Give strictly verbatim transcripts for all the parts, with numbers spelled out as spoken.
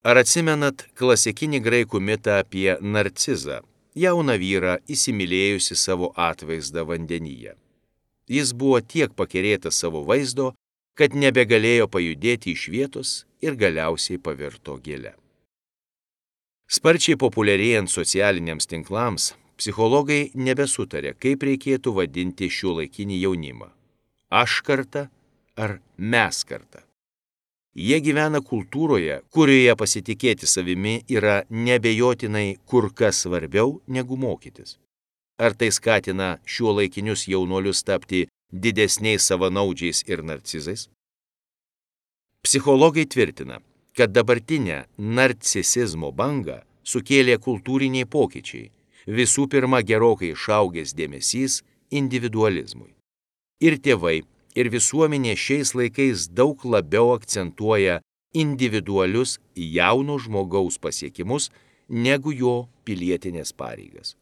Ar atsimenat klasikinį graikų mitą apie Narcizą, jauną vyrą įsimylėjusi savo atvaizdą vandenyje? Jis buvo tiek pakerėtas savo vaizdo, kad nebegalėjo pajudėti iš vietos ir galiausiai pavirto gėle. Sparčiai populiarėjant socialiniams tinklams, psichologai nebesutarė, kaip reikėtų vadinti šiuolaikinį jaunimą – aš karta ar mes karta. Jie gyvena kultūroje, kurioje pasitikėti savimi yra neabejotinai kur kas svarbiau negu mokytis. Ar tai skatina šiuolaikinius jaunuolius tapti didesniais savanaudžiais ir narcizais? Psichologai tvirtina, kad dabartinę narcisizmo bangą sukėlė kultūriniai pokyčiai, visų pirma gerokai išaugęs dėmesys individualizmui. Ir tėvai, ir visuomenė šiais laikais daug labiau akcentuoja individualius jauno žmogaus pasiekimus negu jo pilietinės pareigas.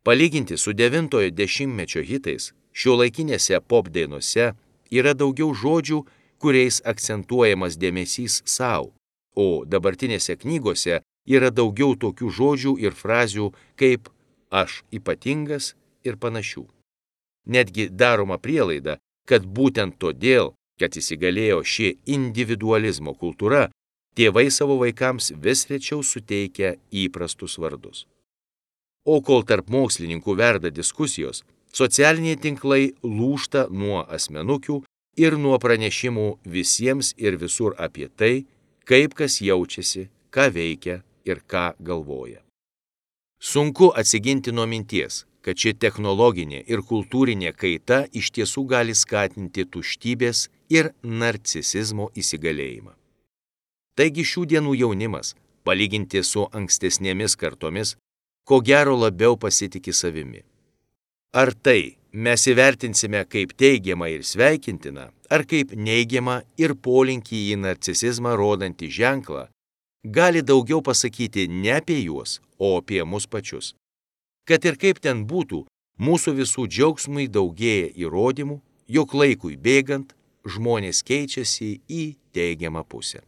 Palyginti su devintojo dešimtmečio hitais, šiuolaikinėse pop dainose yra daugiau žodžių, kuriais akcentuojamas dėmesys savo, o dabartinėse knygose yra daugiau tokių žodžių ir frazių kaip aš ypatingas ir panašių. Netgi daroma prielaida, kad būtent todėl, kad įsigalėjo ši individualizmo kultūra, tėvai savo vaikams vis rečiau suteikia įprastus vardus. O kol tarp mokslininkų verda diskusijos, socialiniai tinklai lūžta nuo asmenukių ir nuo pranešimų visiems ir visur apie tai, kaip kas jaučiasi, ką veikia ir ką galvoja. Sunku atsiginti nuo minties, kad ši technologinė ir kultūrinė kaita iš tiesų gali skatinti tuštybės ir narcisizmo įsigalėjimą. Taigi šių dienų jaunimas, palyginti su ankstesnėmis kartomis, ko gero labiau pasitiki savimi. Ar tai mes įvertinsime kaip teigiamą ir sveikintiną, ar kaip neigiamą ir polinkį į narcisizmą rodantį ženklą, gali daugiau pasakyti ne apie juos, o apie mus pačius. Kad ir kaip ten būtų, mūsų visų džiaugsmui daugėja įrodymų, jog laikui bėgant žmonės keičiasi į teigiamą pusę.